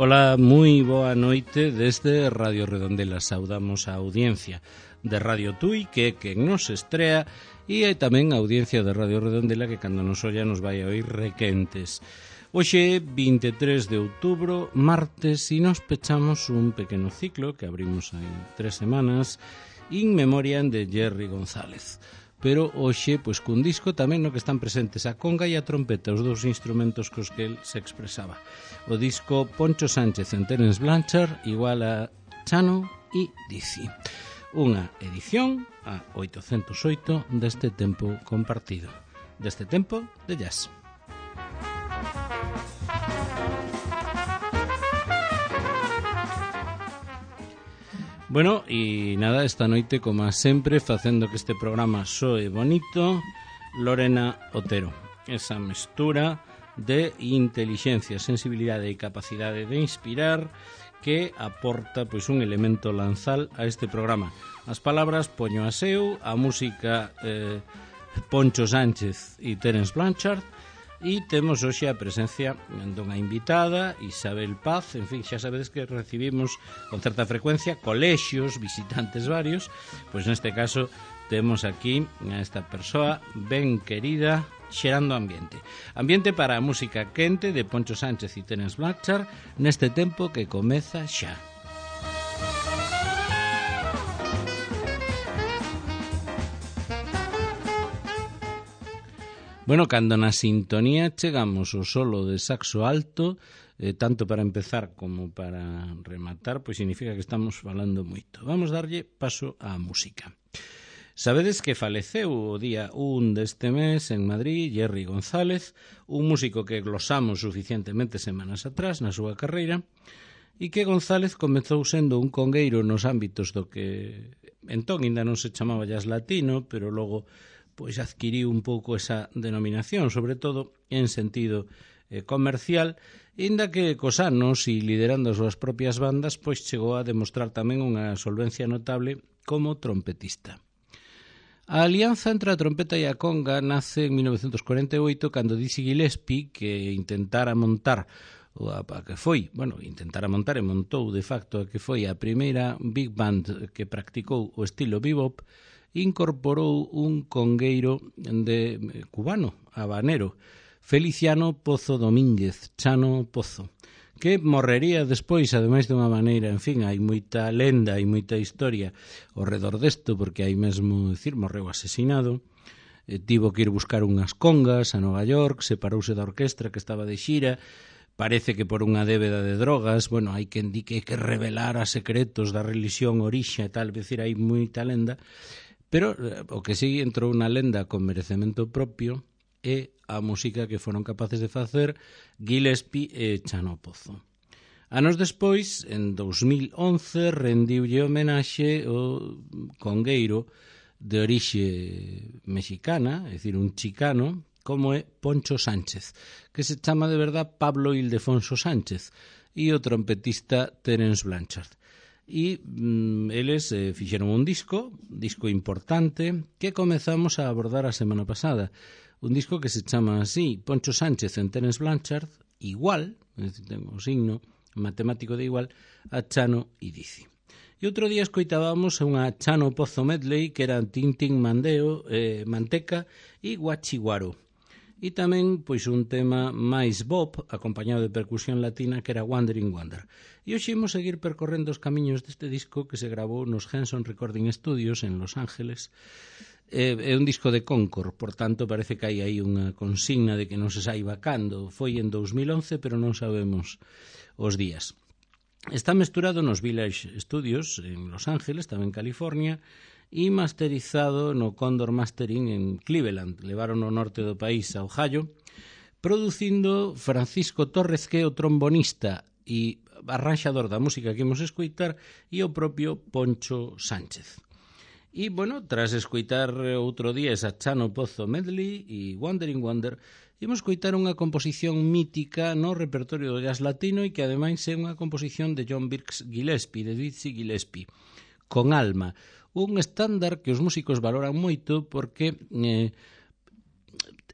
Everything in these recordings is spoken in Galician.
Ola, moi boa noite desde Radio Redondela. Saudamos a audiencia de Radio Tui, que é quen nos estrea, e hai tamén a audiencia de Radio Redondela que cando nos olla nos vai a oír requentes. Hoxe, 23 de outubro, martes, e nos pechamos un pequeno ciclo que abrimos hai 3 semanas in memoriam de Jerry González. Pero hoxe, pois, cun disco tamén no que están presentes a conga e a trompeta, os dous instrumentos cos que el se expresaba. O disco Poncho Sánchez en Terence Blanchard igual a Chano e Dizzy. Unha edición a 808 deste tempo compartido, deste tempo de jazz. Bueno, e nada, esta noite, como sempre, facendo que este programa soe bonito, Lorena Otero. Esa mestura de intelixencia, sensibilidade e capacidade de inspirar que aporta pois un elemento lanzal a este programa. As palabras poño a seu, a música Poncho Sánchez e Terence Blanchard, e temos hoxe a presencia dunha invitada, Isabel Paz. En fin, xa sabedes que recibimos con certa frecuencia colexios, visitantes varios. Pois neste caso temos aquí a esta persoa ben querida, xerando ambiente. Ambiente para a música quente de Poncho Sánchez e Terence Blanchard neste tempo que comeza xa. Bueno, cando na sintonía chegamos ao solo de saxo alto, tanto para empezar como para rematar, pois significa que estamos falando moito. Vamos darlle paso á música. Sabedes que faleceu o día 1 deste mes en Madrid Jerry González, un músico que glosamos suficientemente semanas atrás na súa carreira, e que González comezou sendo un congueiro nos ámbitos do que entón ainda non se chamaba jazz latino, pero logo pois adquiriu un pouco esa denominación, sobre todo en sentido comercial, inda que cos anos e liderando as súas propias bandas, pois chegou a demostrar tamén unha solvencia notable como trompetista. A alianza entre a trompeta e a conga nace en 1948 cando Dizzy Gillespie, que intentara montar e montou de facto a que foi a primeira big band que practicou o estilo bebop, incorporou un congueiro cubano, habanero, Feliciano Pozo Domínguez, Chano Pozo, que morrería despois, ademais dunha maneira, en fin, hai moita lenda e moita historia ao redor desto, porque hai mesmo, morreu asesinado, tivo que ir buscar unhas congas a Nova York, separouse da orquestra que estaba de xira, parece que por unha débeda de drogas, bueno, hai quen di que revelara secretos da religión orixa e tal, decir, hai moita lenda. Pero o que sí entrou na lenda con merecemento propio é a música que foron capaces de facer Gillespie e Chano Pozo. Anos despois, en 2011, rendiulle homenaxe o congueiro de orixe mexicana, é dicir, un chicano, como é Poncho Sánchez, que se chama de verdad Pablo Ildefonso Sánchez, e o trompetista Terence Blanchard. E eles fixeron un disco importante que comezamos a abordar a semana pasada, un disco que se chama así, Poncho Sánchez en Terence Blanchard, igual, ten o signo matemático de igual, a Chano e Dizzy. E outro día escoitábamos unha Chano Pozo medley que eran Tintín Mandeo, Manteca e Guachiguaro. E tamén pois un tema máis bop, acompañado de percusión latina, que era Wandering Wonder. E hoxe imos seguir percorrendo os camiños deste disco que se gravou nos Henson Recording Studios en Los Ángeles. É un disco de Concord, por tanto parece que hai aí unha consigna de que non se saiba cando. Foi en 2011, pero non sabemos os días. Está mesturado nos Village Studios en Los Ángeles, tamén en California, e masterizado no Condor Mastering en Cleveland, levaron ao norte do país, a Ohio, producindo Francisco Torres, que é o trombonista e arranxador da música que imos escoitar, e o propio Poncho Sánchez. E, bueno, tras escoitar outro día esa Chano Pozo medley e Wandering Wonder, imos escoitar unha composición mítica no repertorio do jazz latino e que ademais é unha composición de John Wilkes Gillespie, de Dizzy Gillespie, Con Alma, un estándar que os músicos valoran moito porque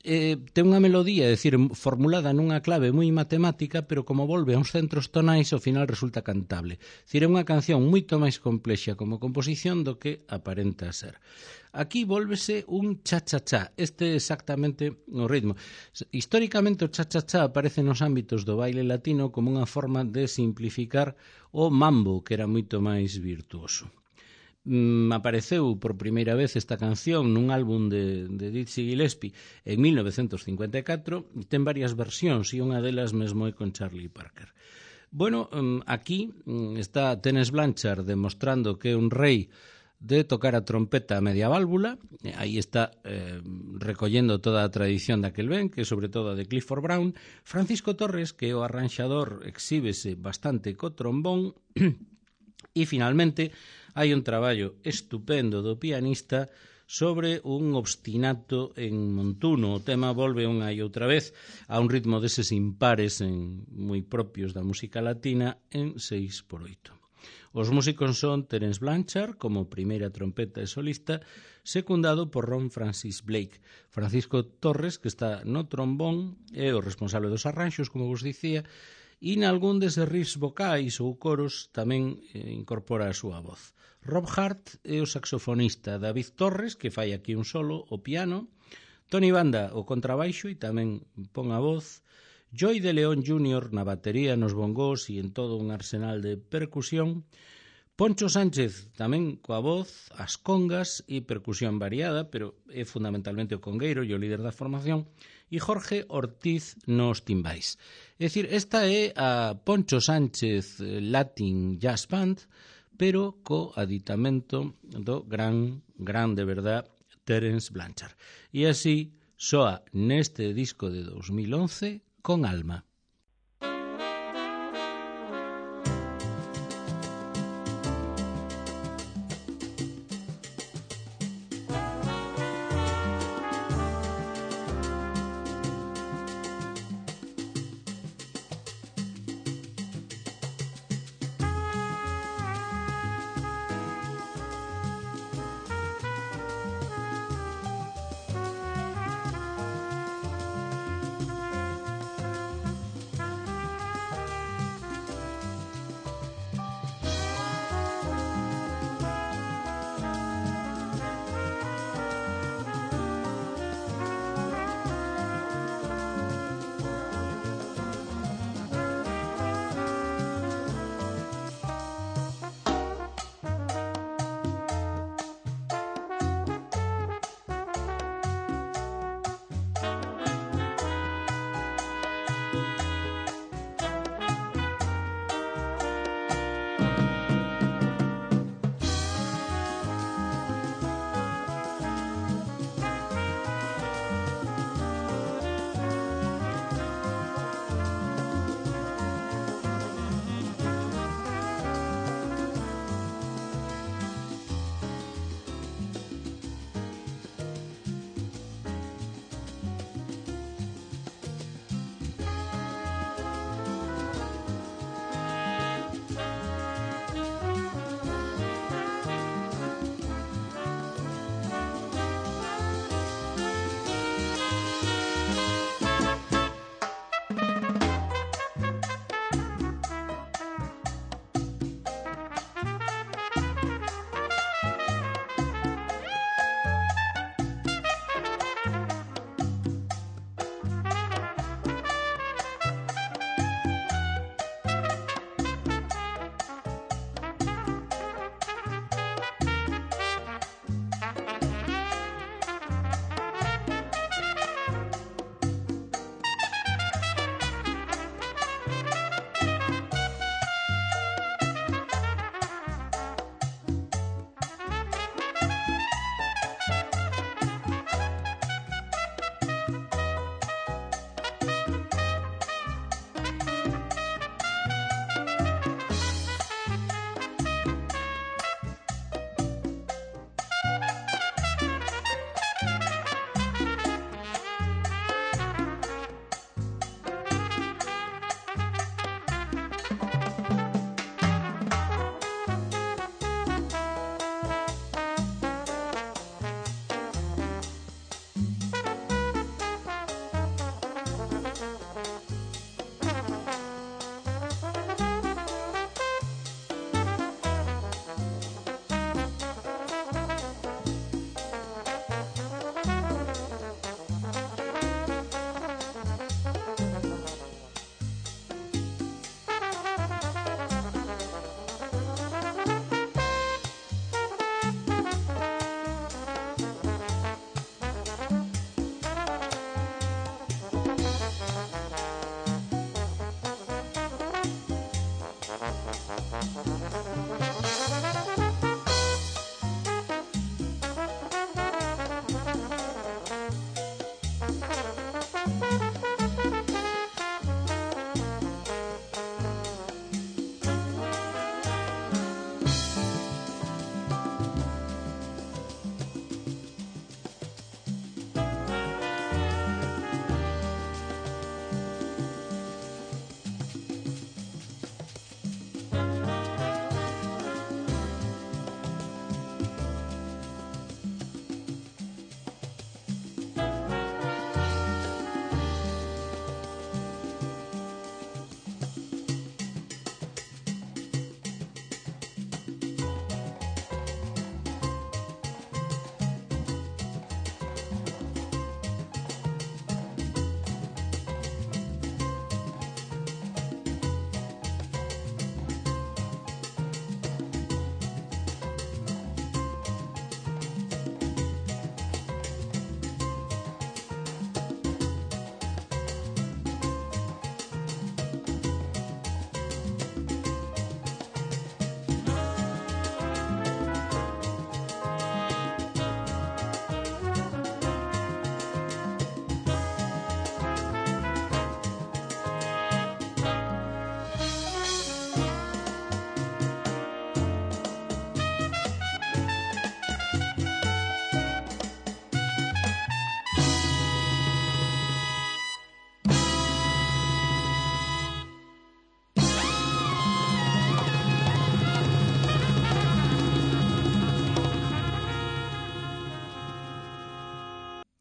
ten unha melodía, é dicir, formulada nunha clave moi matemática, pero como volve a uns centros tonais, ao final resulta cantable. É dicir, é unha canción moito máis complexa como composición do que aparenta ser. Aquí volvese un cha-cha-cha. Este é exactamente o ritmo. Históricamente o cha-cha-cha aparece nos ámbitos do baile latino como unha forma de simplificar o mambo, que era moito máis virtuoso. Apareceu por primeira vez esta canción nun álbum de Dizzy Gillespie en 1954 e ten varias versións e unha delas mesmo é con Charlie Parker. Bueno, aquí está Terence Blanchard demostrando que é un rei de tocar a trompeta a media válvula. Aí está recollendo toda a tradición daquel ben, que é sobre todo a de Clifford Brown. Francisco Torres, que é o arranxador, exhíbese bastante co trombón. E finalmente hai un traballo estupendo do pianista sobre un obstinato en montuno. O tema volve unha e outra vez a un ritmo deses impares moi propios da música latina en 6x8. Os músicos son Terence Blanchard como primeira trompeta e solista, secundado por Ron Francis Blake. Francisco Torres, que está no trombón, é o responsable dos arranxos, como vos dicía, e nalgún deses riffs vocais ou coros tamén incorpora a súa voz. Rob Hart é o saxofonista, David Torres, que fai aquí un solo, o piano, Tony Banda, o contrabaixo e tamén pon a voz, Joey de León Jr. na batería, nos bongós e en todo un arsenal de percusión, Poncho Sánchez tamén coa voz, as congas e percusión variada, pero é fundamentalmente o congueiro e o líder da formación, e Jorge Ortiz nos timbais. É dicir, esta é a Poncho Sánchez Latin Jazz Band, pero co aditamento do gran de verdad Terence Blanchard. E así soa neste disco de 2011 con alma.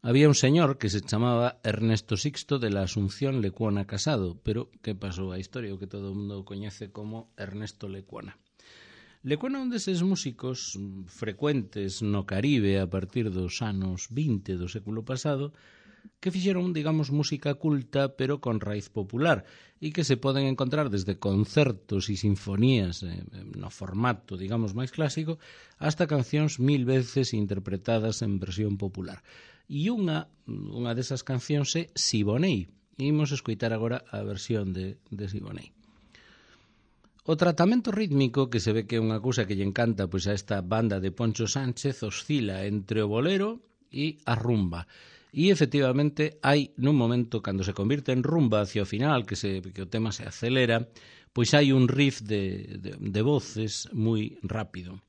Había un señor que se chamaba Ernesto Sixto de la Asunción Lecuona Casado, pero que pasou a historia, o que todo o mundo coñece como Ernesto Lecuona. Lecuona é un deses músicos frecuentes no Caribe a partir dos anos 20 do século pasado que fixeron, digamos, música culta pero con raíz popular e que se poden encontrar desde concertos e sinfonías no formato, digamos, máis clásico hasta cancións 1000 veces interpretadas en versión popular. E unha desas cancións é Siboney. Imos escoitar agora a versión de Siboney. O tratamento rítmico, que se ve que é unha cousa que lle encanta pois a esta banda de Poncho Sánchez, oscila entre o bolero e a rumba. E, efectivamente, hai nun momento, cando se convirte en rumba hacia o final, que o tema se acelera, pois hai un riff de voces moi rápido.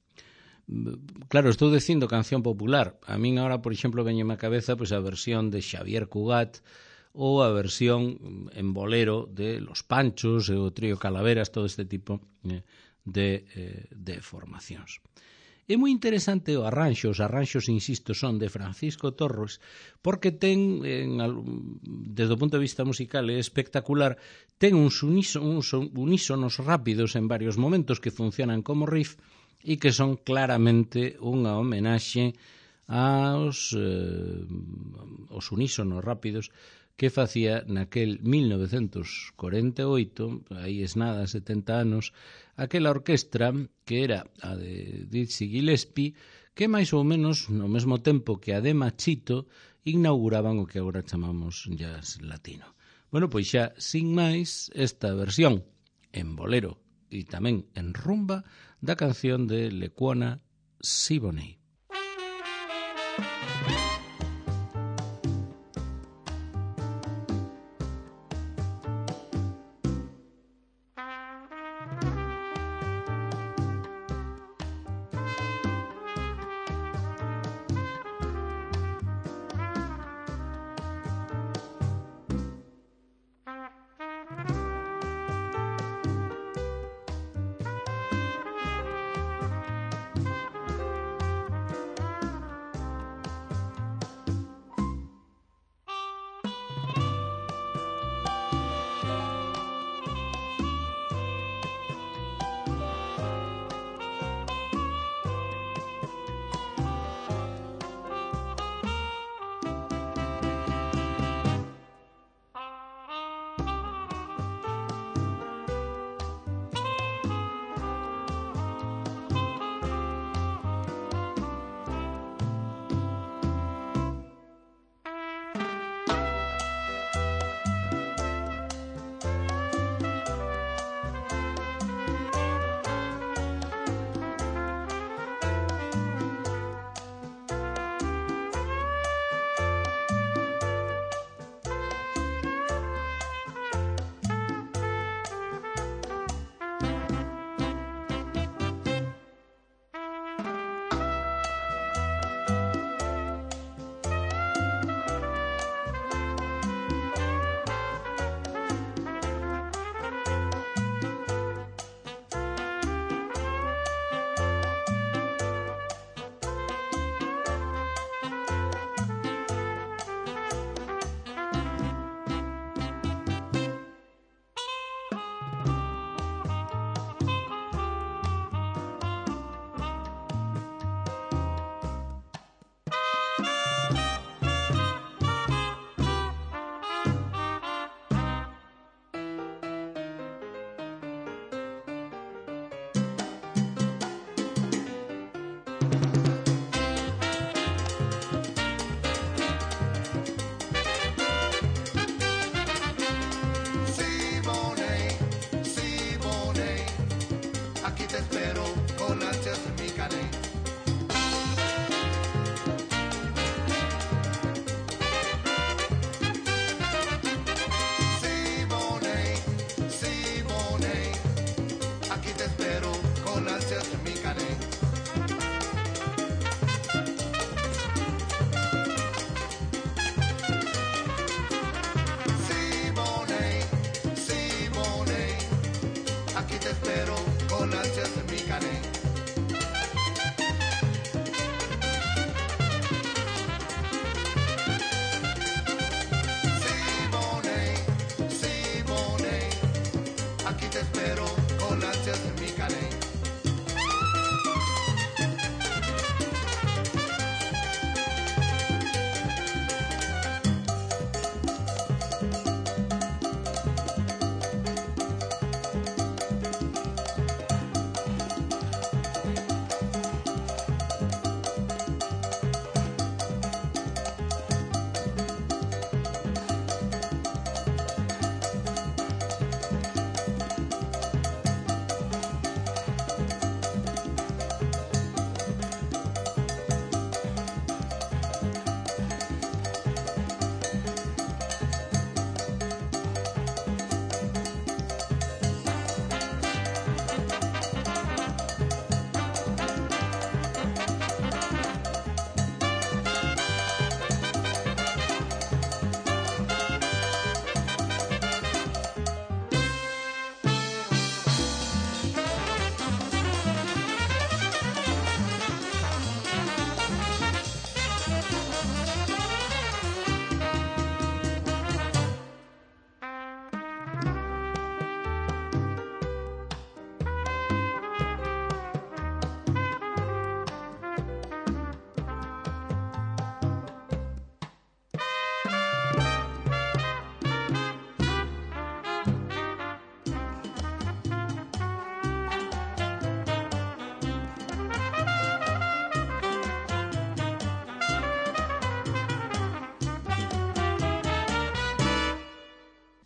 Claro, estou dicindo canción popular. A min agora, por exemplo, veñeme a cabeza pois a versión de Xavier Cugat ou a versión en bolero de Los Panchos e o Trío Calaveras, todo este tipo de formacións. É moi interesante o arranxo, os arranxos, insisto, son de Francisco Torres, porque ten, desde o punto de vista musical, é espectacular, ten uns unísonos rápidos en varios momentos que funcionan como riff e que son claramente unha homenaxe aos unísonos rápidos que facía naquel 1948, aí es nada, 70 anos, aquela orquestra que era a de Dizzy Gillespie, que máis ou menos no mesmo tempo que a de Machito inauguraban o que agora chamamos jazz latino. Bueno, pois xa, sin máis, esta versión en bolero e tamén en rumba da canción de Lecuona Siboney.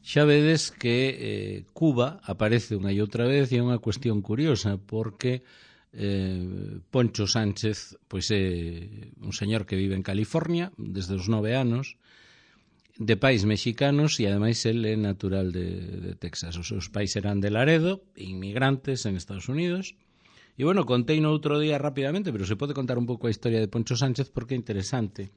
Xa vedes que Cuba aparece unha e outra vez e é unha cuestión curiosa porque Poncho Sánchez pois é un señor que vive en California desde os 9 anos, de pais mexicanos e ademais el é natural de Texas. Os seus pais eran de Laredo, inmigrantes en Estados Unidos. E bueno, contei no outro día rapidamente, pero se pode contar un pouco a historia de Poncho Sánchez porque é interesante.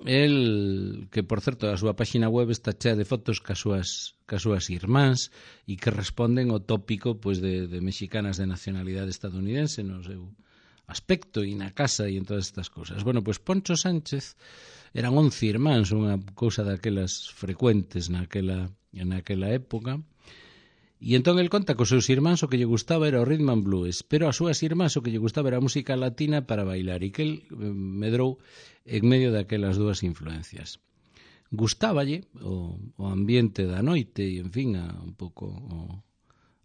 El, que por certo a súa páxina web está chea de fotos cas súas irmáns e que responden ao tópico pois, de mexicanas de nacionalidade estadounidense no seu aspecto e na casa e en todas estas cousas. Bueno, pois Poncho Sánchez eran 11 irmáns, unha cousa daquelas frecuentes naquela época. E entón el conta que os seus irmáns o que lle gustaba era o rhythm and blues, pero as súas irmáns o que lle gustaba era a música latina para bailar e que el medrou en medio daquelas dúas influencias. Gustáballe o ambiente da noite e, en fin, un pouco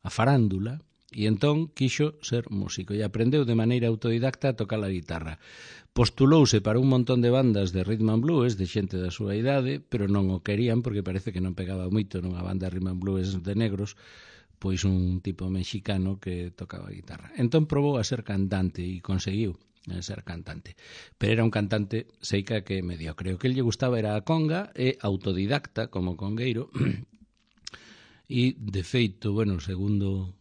a farándula e entón quixo ser músico e aprendeu de maneira autodidacta a tocar a guitarra. Postulouse para un montón de bandas de rhythm and blues de xente da súa idade, pero non o querían porque parece que non pegaba moito nunha banda de rhythm and blues de negros, pois un tipo mexicano que tocaba a guitarra. Entón probou a ser cantante e conseguiu ser cantante. Pero era un cantante seica que mediocre. O que lle gustaba era a conga e autodidacta como congueiro. E, de feito, bueno, segundo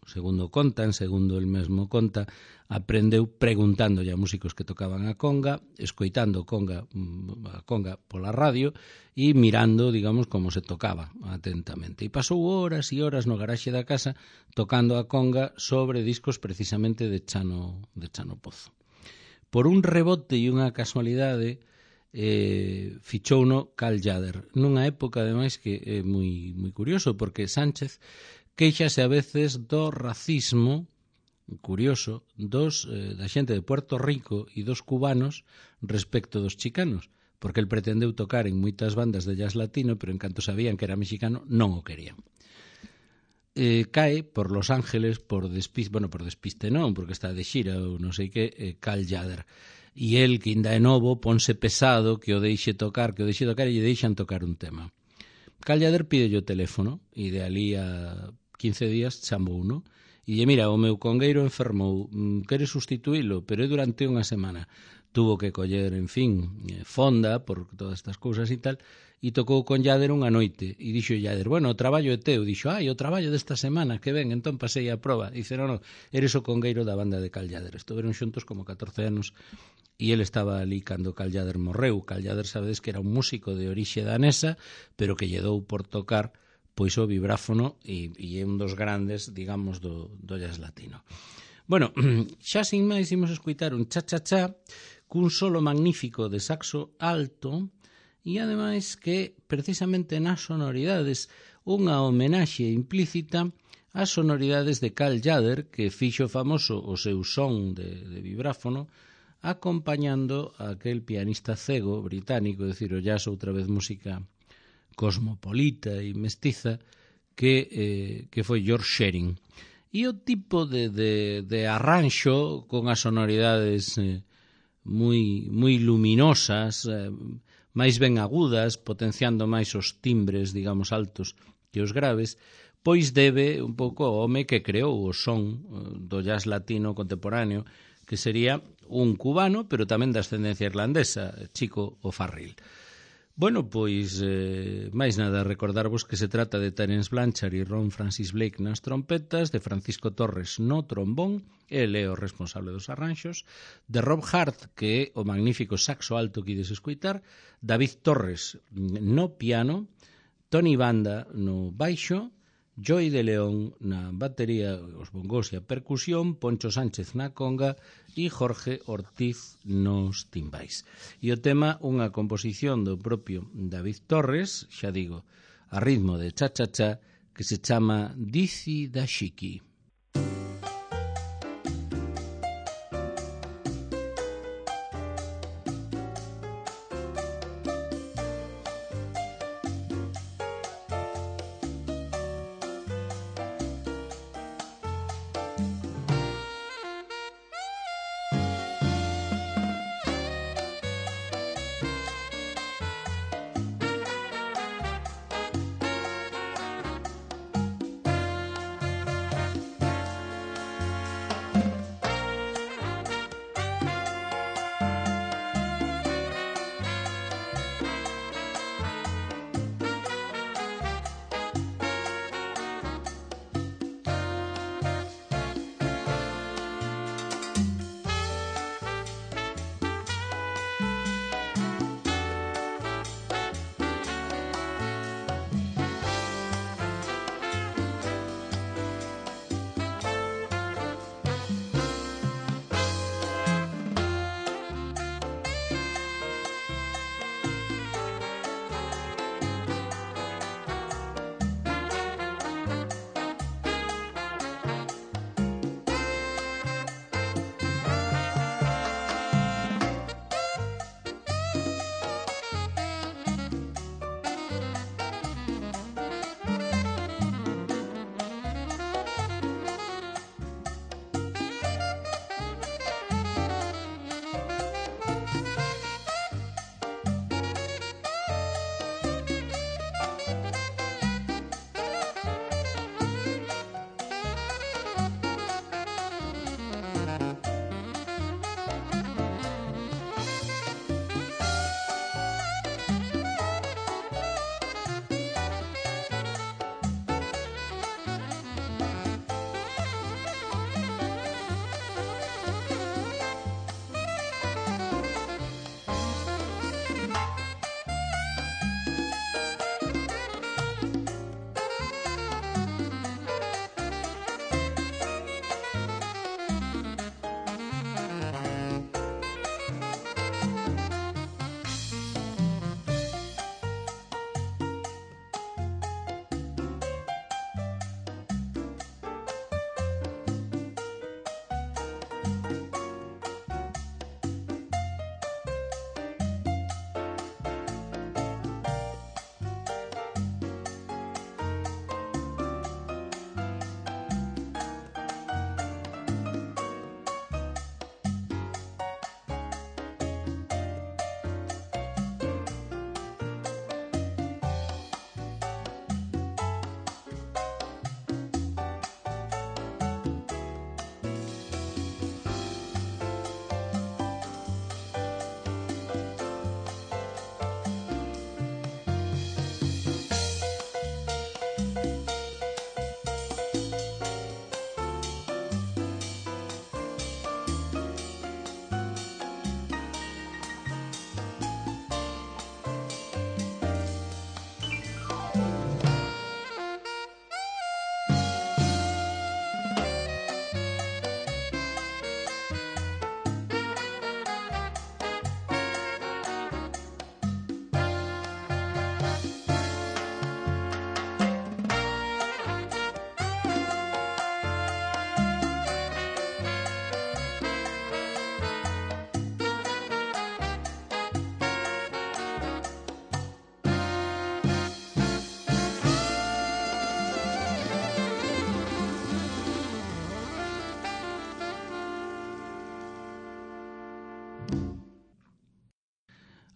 contan, segundo el mesmo conta, aprendeu preguntándolle a músicos que tocaban a conga, escoitando a conga pola radio e mirando, digamos, como se tocaba atentamente. E pasou horas e horas no garaxe da casa tocando a conga sobre discos precisamente de Chano Pozo. Por un rebote e unha casualidade, fichouno Cal Tjader nunha época ademais que é moi curioso porque Sánchez queixase a veces do racismo curioso da xente de Puerto Rico e dos cubanos respecto dos chicanos, porque el pretendeu tocar en moitas bandas de jazz latino, pero en canto sabían que era mexicano non o querían. Cae por Los Ángeles por despiste non, porque está de xira ou non sei que, Cal Tjader. E el, que ainda é novo, ponse pesado que o deixe tocar e lle deixan tocar un tema. Cal Tjader pide o teléfono e de ali a 15 días chamou uno e lle, mira, o meu congueiro enfermou, queres sustituílo, pero é durante unha semana. Tuvo que coller, en fin, fonda por todas estas cousas e tal, e tocou con Tjader unha noite e dixo Tjader, bueno, o traballo é teu. Dixo, o traballo desta semana, que ben, entón pasei a proba. Dice, non, eres o congueiro da banda de Cal Tjader. Estuveron xuntos como 14 anos e ele estaba ali cando Cal Tjader morreu. Cal Tjader, sabedes que era un músico de orixe danesa, pero que lle dou por tocar pois o vibráfono e é un dos grandes, digamos, do jazz latino. Bueno, xa sin máis imos escutar un cha-cha-cha cun solo magnífico de saxo alto e ademais que precisamente nas sonoridades unha homenaxe implícita ás sonoridades de Cal Tjader que fixo famoso o seu son de vibráfono acompañando a aquel pianista cego británico, é dicir, o jazz outra vez música cosmopolita e mestiza que foi George Shearing. E o tipo de arranxo con as sonoridades moi luminosas, máis ben agudas, potenciando máis os timbres, digamos, altos que os graves, pois debe un pouco ao home que creou o son do jazz latino contemporáneo, que sería un cubano, pero tamén de ascendencia irlandesa, Chico O'Farrill. Bueno, pois, máis nada, recordarvos que se trata de Terence Blanchard e Ron Francis Blake nas trompetas, de Francisco Torres no trombón, el é o responsable dos arranxos, de Rob Hart, que é o magnífico saxo alto que ides escoitar, David Torres no piano, Tony Banda no baixo, Joey de León na batería, os bongos e a percusión, Poncho Sánchez na conga e Jorge Ortiz nos timbais. E o tema, unha composición do propio David Torres, xa digo, a ritmo de cha-cha-cha, que se chama Dizzy da Chiqui.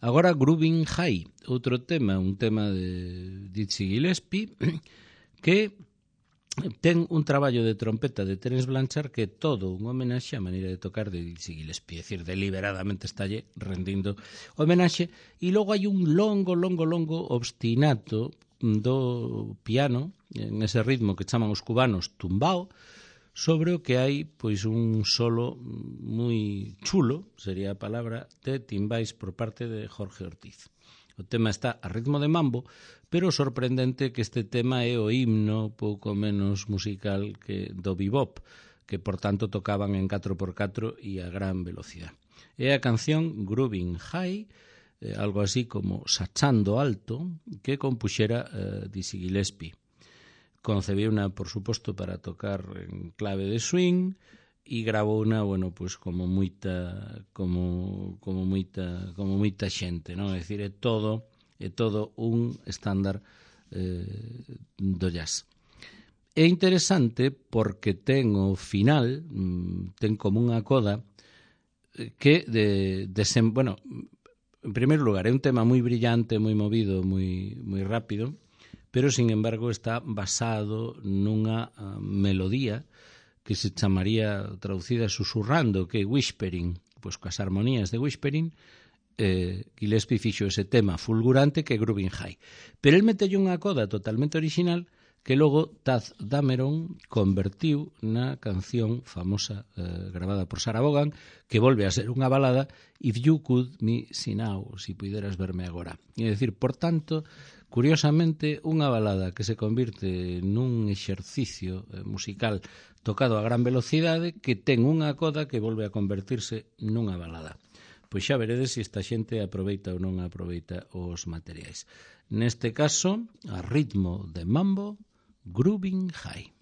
Agora Groovin' High, outro tema, un tema de Dizzy Gillespie, que ten un traballo de trompeta de Terence Blanchard que é todo un homenaxe á maneira de tocar de Dizzy Gillespie, é dicir, deliberadamente estalle rendindo homenaxe, e logo hai un longo obstinato do piano, en ese ritmo que chaman os cubanos tumbao, sobre o que hai pois un solo moi chulo, sería a palabra, de timbais por parte de Jorge Ortiz. O tema está a ritmo de mambo, pero o sorprendente que este tema é o himno pouco menos musical que do bebop, que por tanto tocaban en 4x4 e a gran velocidade. É a canción Groovin' High, algo así como Sachando Alto, que compuxera Dizzy Gillespie. Concebiuna, por suposto, para tocar en clave de swing e grabouna, bueno, pues como moita xente, non? É dicir, é todo un estándar do jazz. É interesante porque ten o final, ten como unha coda que bueno, en primeiro lugar, é un tema moi brillante, moi movido, moi rápido, pero, sin embargo, está basado nunha melodía que se chamaría, traducida susurrando, que é whispering, pois coas armonías de whispering, Gillespie fixo ese tema fulgurante que é Groovin' High. Pero el metelle unha coda totalmente original que logo Taz Dameron convertiu na canción famosa gravada por Sarah Vaughan, que volve a ser unha balada, If You Could Me See Now, si puideras verme agora. É dicir, por tanto, curiosamente, unha balada que se convirte nun exercicio musical tocado a gran velocidade que ten unha coda que volve a convertirse nunha balada. Pois xa veredes se esta xente aproveita ou non aproveita os materiais. Neste caso, a ritmo de mambo, Groovin' High.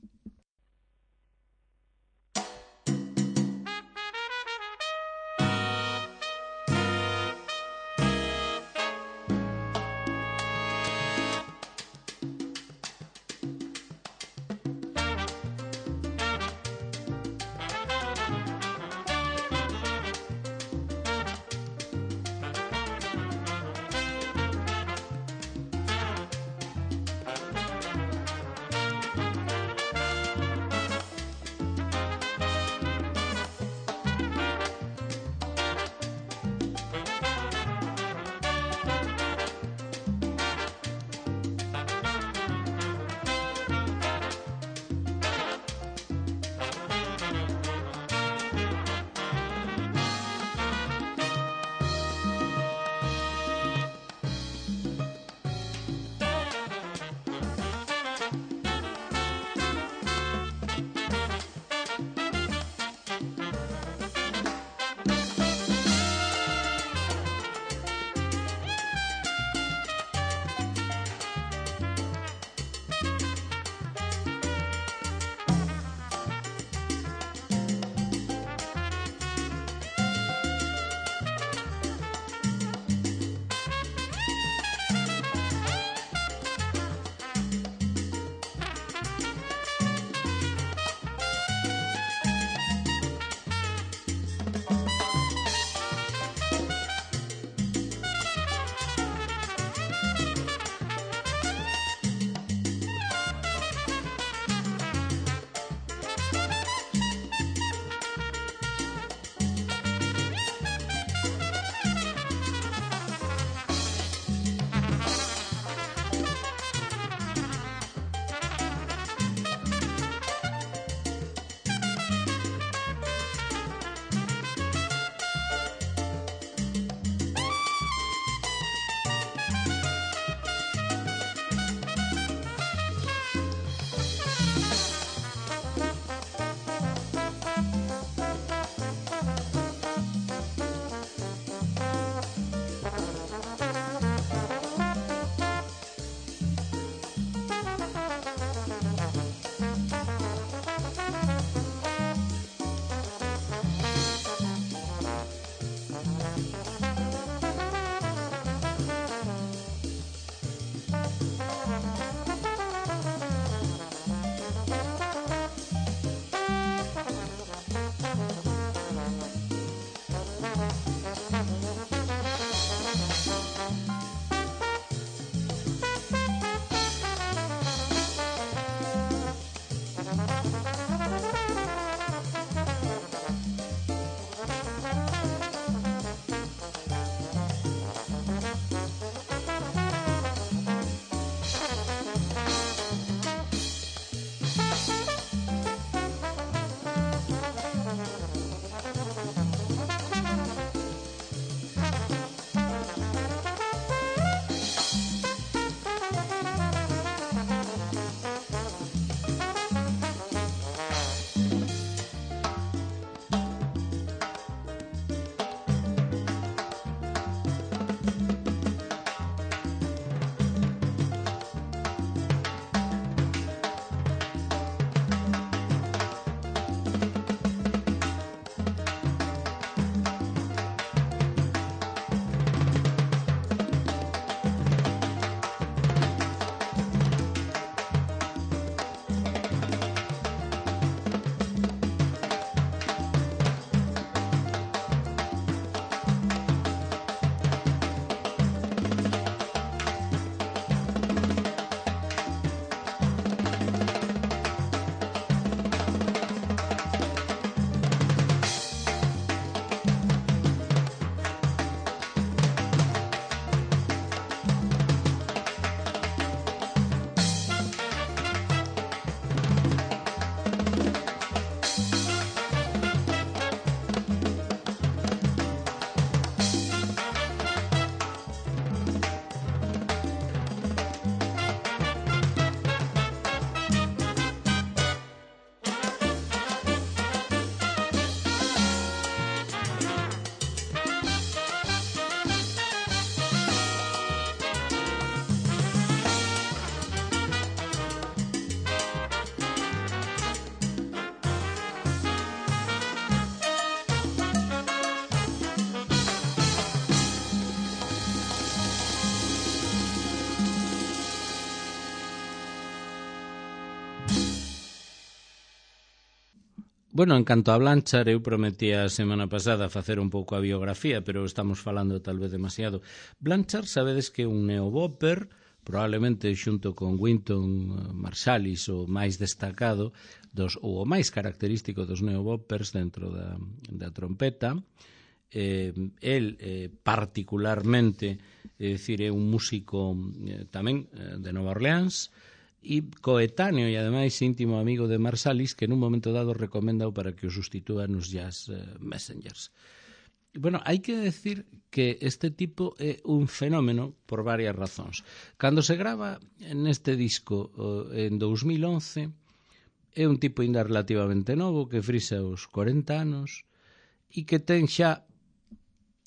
Bueno, en canto a Blanchard, eu prometí a semana pasada facer un pouco a biografía, pero estamos falando tal vez demasiado. Blanchard, sabedes que é un neobopper, probablemente xunto con Wynton Marsalis o máis destacado ou o máis característico dos neoboppers dentro da trompeta. El particularmente, é dicir, é un músico tamén de Nova Orleans, e coetáneo e ademais íntimo amigo de Marsalis, que nun momento dado recomendao para que o sustitúa nos Jazz Messengers. Bueno, hai que decir que este tipo é un fenómeno por varias razóns. Cando se grava neste disco en 2011, é un tipo ainda relativamente novo que frisa os 40 anos e que ten xa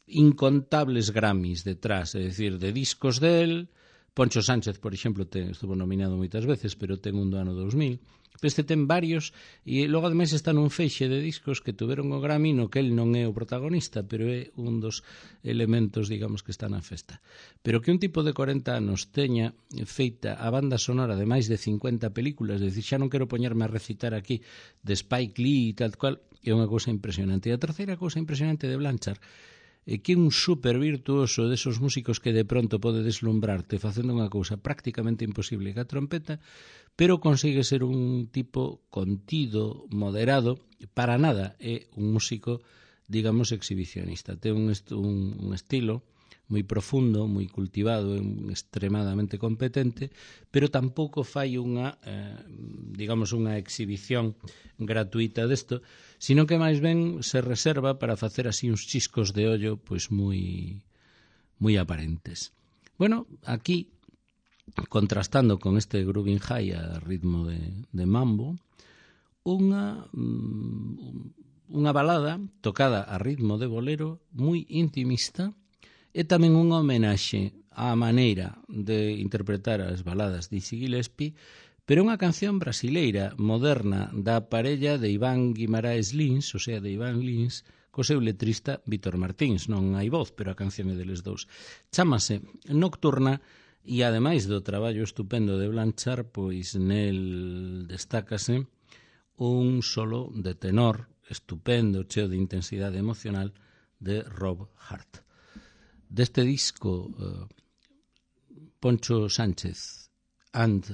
incontables Grammys detrás, é dicir, de discos del. Poncho Sánchez, por exemplo, estuvo nominado moitas veces, pero ten un do ano 2000. Este ten varios, e logo ademais está nun feixe de discos que tuveron o Grammy no que el non é o protagonista, pero é un dos elementos, digamos, que está na festa. Pero que un tipo de 40 anos teña feita a banda sonora de máis de 50 películas, é dicir, xa non quero poñerme a recitar aquí de Spike Lee e tal cual, é unha cousa impresionante. E a terceira cousa impresionante de Blanchard que é un super virtuoso desos músicos que de pronto pode deslumbrarte facendo unha cousa prácticamente imposible que a trompeta, pero consigue ser un tipo contido, moderado, para nada é un músico, digamos, exhibicionista. Ten un estilo moi profundo, moi cultivado, extremadamente competente, pero tampouco fai unha, digamos, unha exhibición gratuita desto, sino que máis ben se reserva para facer así uns chiscos de ollo pois moi aparentes. Bueno, aquí, contrastando con este grooving high a ritmo de mambo, unha balada tocada a ritmo de bolero moi intimista, é tamén unha homenaxe á maneira de interpretar as baladas de Dizzy Gillespie, pero unha canción brasileira moderna da parella de Iván Guimaraes Lins, o sea, de Iván Lins, co seu letrista Vítor Martins. Non hai voz, pero a canción é deles dous. Chámase Nocturna, e ademais do traballo estupendo de Blanchard, pois nel destácase un solo de tenor estupendo, cheo de intensidade emocional, de Rob Hart. Deste disco, Poncho Sánchez and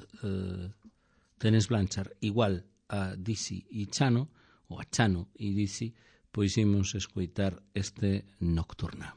Dennis Blanchard igual a Dizzy e Chano, ou a Chano e Dizzy, pois imos escoitar este Nocturna.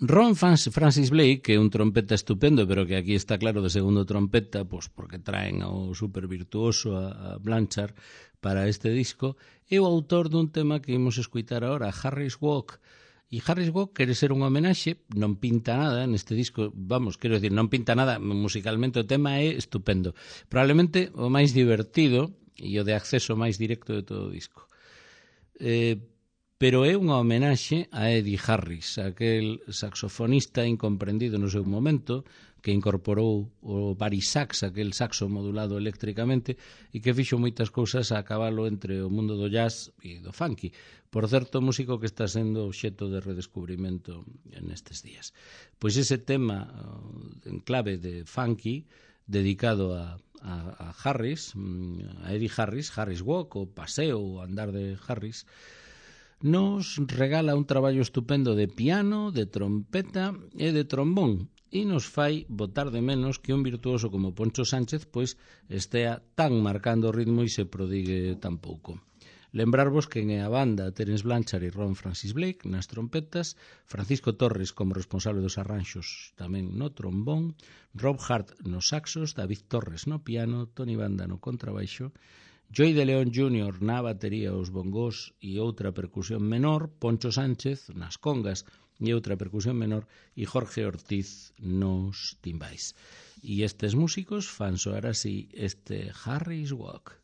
Ron Francis Blake, que é un trompeta estupendo, pero que aquí está claro de segundo trompeta, pois porque traen ao super virtuoso a Blanchard para este disco, é o autor dun tema que imos escuitar agora, Harris Walk. E Harris Walk quere ser un homenaxe, non pinta nada neste disco, vamos, quero decir, non pinta nada musicalmente, o tema é estupendo. Probablemente o máis divertido e o de acceso máis directo de todo o disco. Pero é unha homenaxe a Eddie Harris, aquel saxofonista incomprendido no seu momento, que incorporou o barisax, aquel saxo modulado eléctricamente, e que fixo moitas cousas a cabalo entre o mundo do jazz e do funky. Por certo, músico que está sendo obxeto de redescubrimento nestes días. Pois ese tema en clave de funky, dedicado a Harris, a Eddie Harris, Harris Walk, o paseo, o andar de Harris, nos regala un traballo estupendo de piano, de trompeta e de trombón, e nos fai botar de menos que un virtuoso como Poncho Sánchez pois estea tan marcando o ritmo e se prodigue tan pouco. Lembrarvos que en a banda Terence Blanchard e Ron Francis Blake nas trompetas, Francisco Torres como responsable dos arranxos tamén no trombón, Rob Hart nos saxos, David Torres no piano, Tony Banda no contrabaixo, Joey de León Jr. na batería, os bongós e outra percusión menor, Poncho Sánchez nas congas e outra percusión menor e Jorge Ortiz nos timbais. E estes músicos fan soar así este Harris Walk.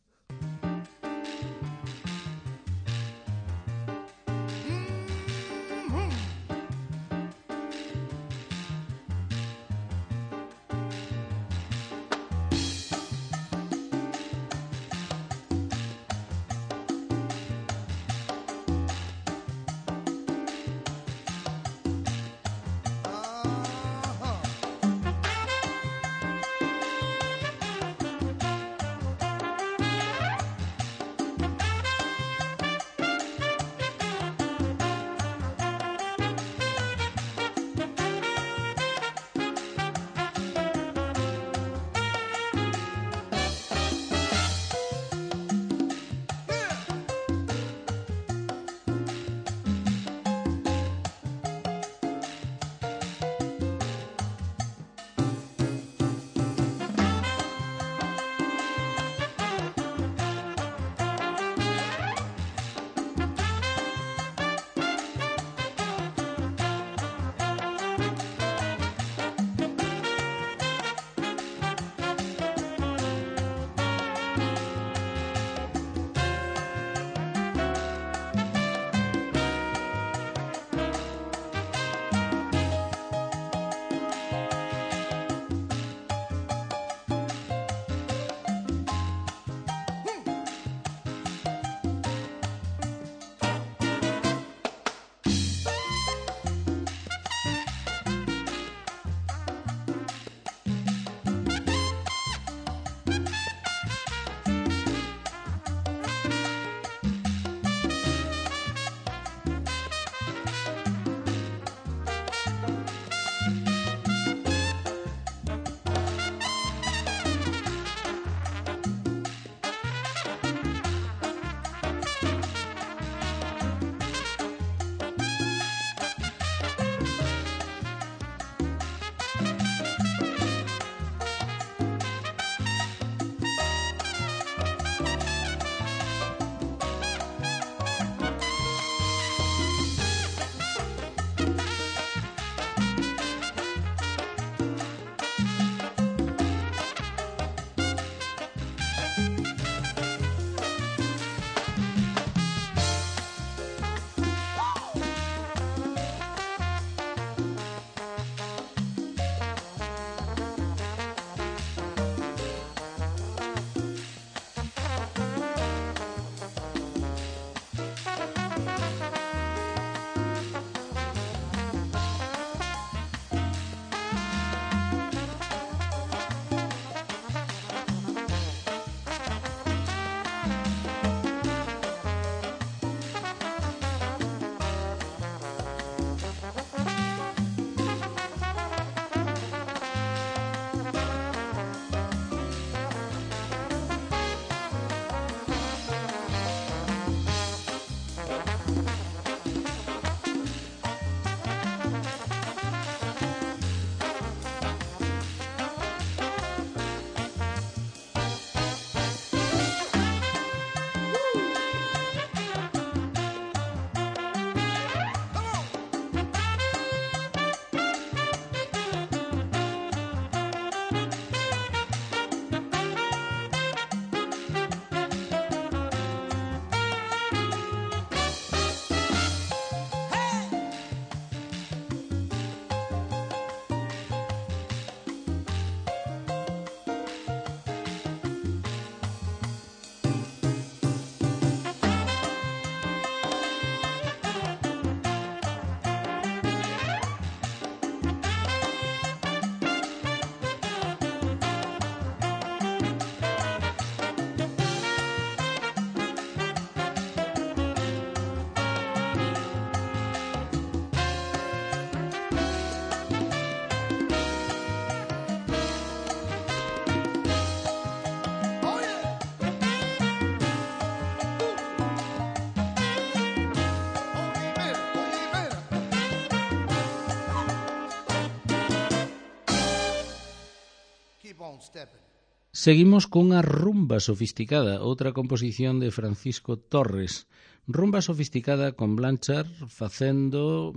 Seguimos cunha rumba sofisticada, outra composición de Francisco Torres. Rumba sofisticada con Blanchard facendo,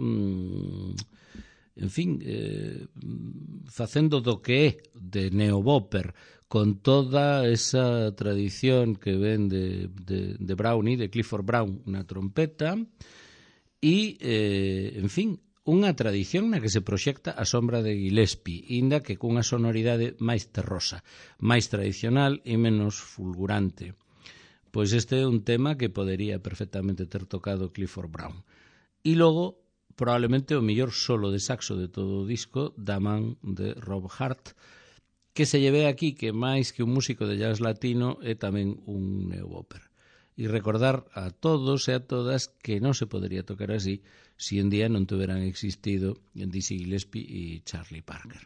facendo do que é de neobopper, con toda esa tradición que ven de Brownie, de Clifford Brown na trompeta, e, unha tradición na que se proxecta a sombra de Gillespie, inda que cunha sonoridade máis terrosa, máis tradicional e menos fulgurante. Pois este é un tema que podería perfectamente ter tocado Clifford Brown. E logo, probablemente o mellor solo de saxo de todo o disco, da man de Rob Hart, que se lleve aquí que máis que un músico de jazz latino é tamén un neobopper. E recordar a todos e a todas que non se podería tocar así se un día non tuveran existido Dizzy Gillespie e Charlie Parker.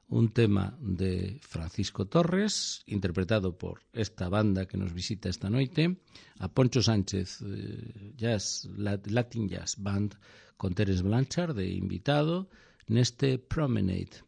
Un tema de Francisco Torres, interpretado por esta banda que nos visita esta noite, a Poncho Sánchez Latin Jazz Band, con Terence Blanchard de invitado neste Promenade.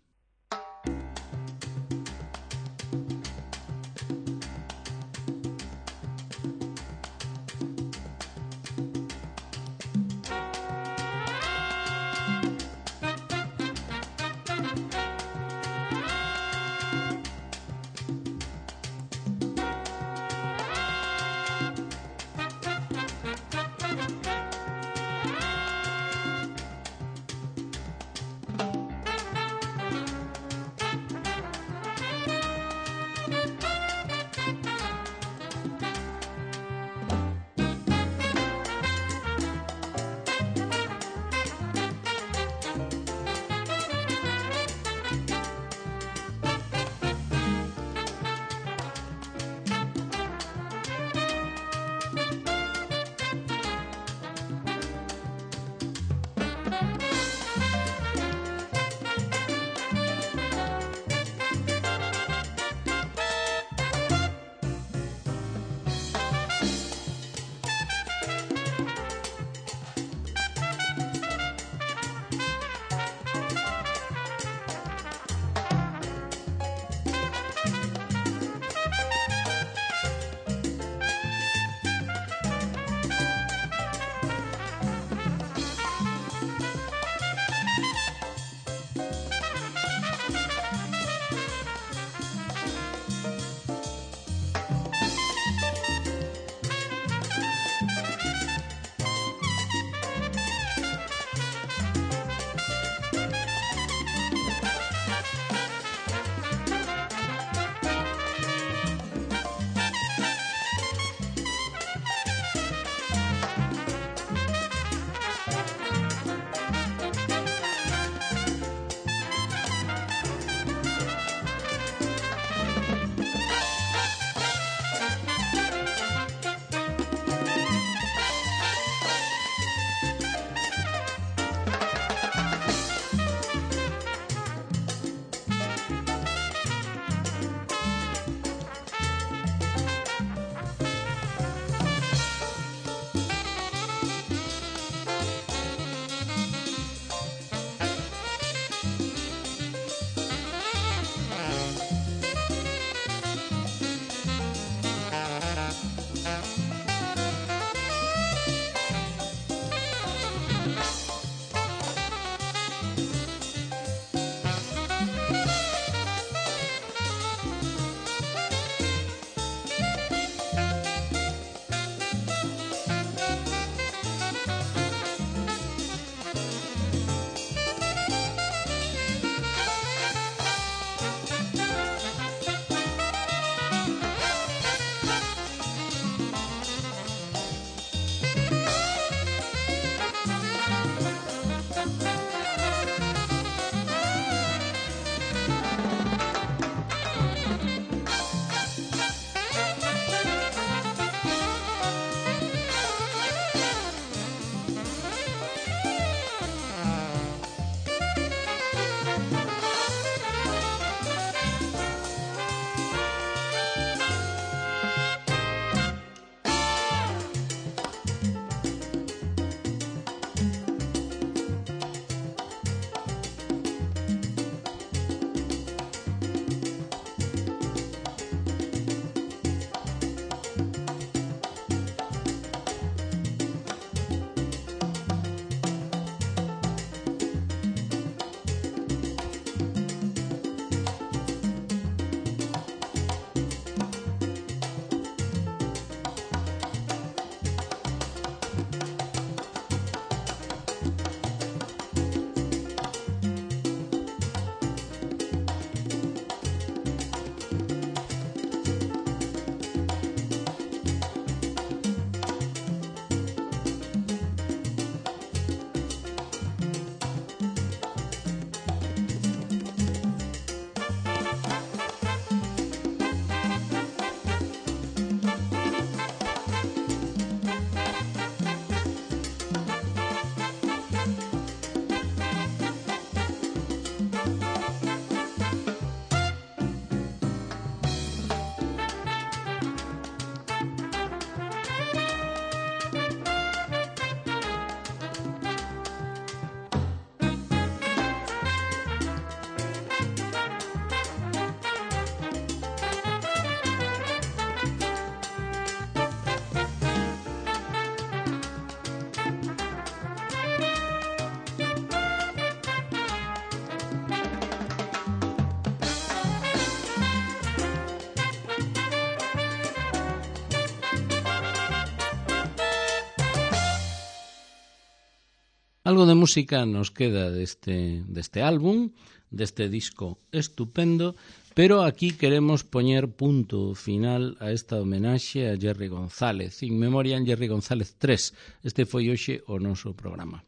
Algo de música nos queda deste álbum, deste disco estupendo, pero aquí queremos poñer punto final a esta homenaxe a Jerry González, in memoriam Jerry González 3. Este foi hoxe o noso programa.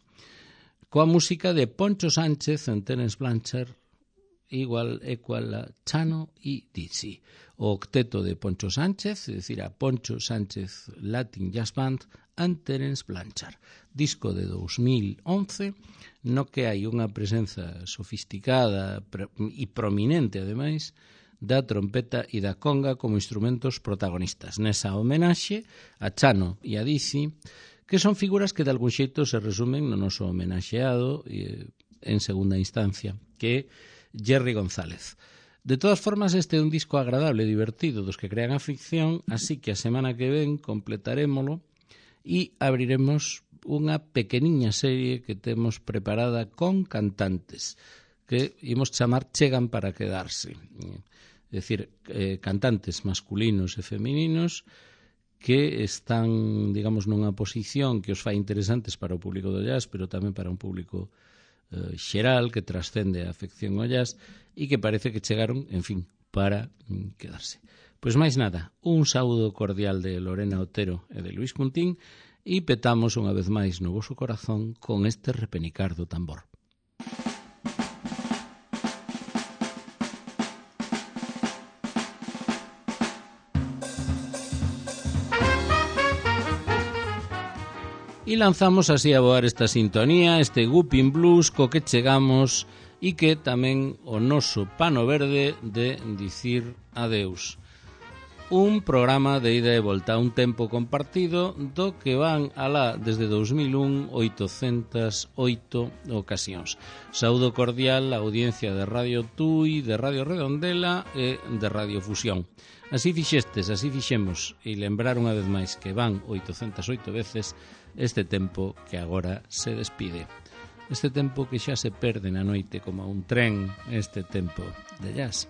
Coa música de Poncho Sánchez en Terence Blanchard, igual a Chano e Dizzy. O octeto de Poncho Sánchez, é dicir, a Poncho Sánchez Latin Jazz Band and Terence Blanchard. Disco de 2011, no que hai unha presenza sofisticada e prominente, ademais, da trompeta e da conga como instrumentos protagonistas. Nesa homenaxe a Chano e a Dizzy, que son figuras que de algún xeito se resumen no noso homenaxeado en segunda instancia, que é Jerry González. De todas formas, este é un disco agradable e divertido dos que crean a ficción, así que a semana que ven completarémolo e abriremos unha pequeniña serie que temos preparada con cantantes que imos chamar Chegan para quedarse. É dicir, cantantes masculinos e femininos que están, digamos, nunha posición que os fai interesantes para o público do jazz, pero tamén para un público xeral que trascende a afección ao jazz e que parece que chegaron, en fin, para quedarse. Pois máis nada, un saúdo cordial de Lorena Otero e de Luis Cuntín e petamos unha vez máis no voso corazón con este repenicar do tambor. E lanzamos así a voar esta sintonía, este Whooping Blues co que chegamos e que tamén o noso pano verde de dicir adeus. Un programa de ida e volta, un tempo compartido do que van alá desde 2001 808 ocasións. Saúdo cordial a audiencia de Radio Tui, de Radio Redondela e de Radio Fusión. Así fixestes, así fixemos, e lembrar unha vez máis que van 808 veces este tempo que agora se despide. Este tempo que xa se perde na noite como un tren, este tempo de jazz.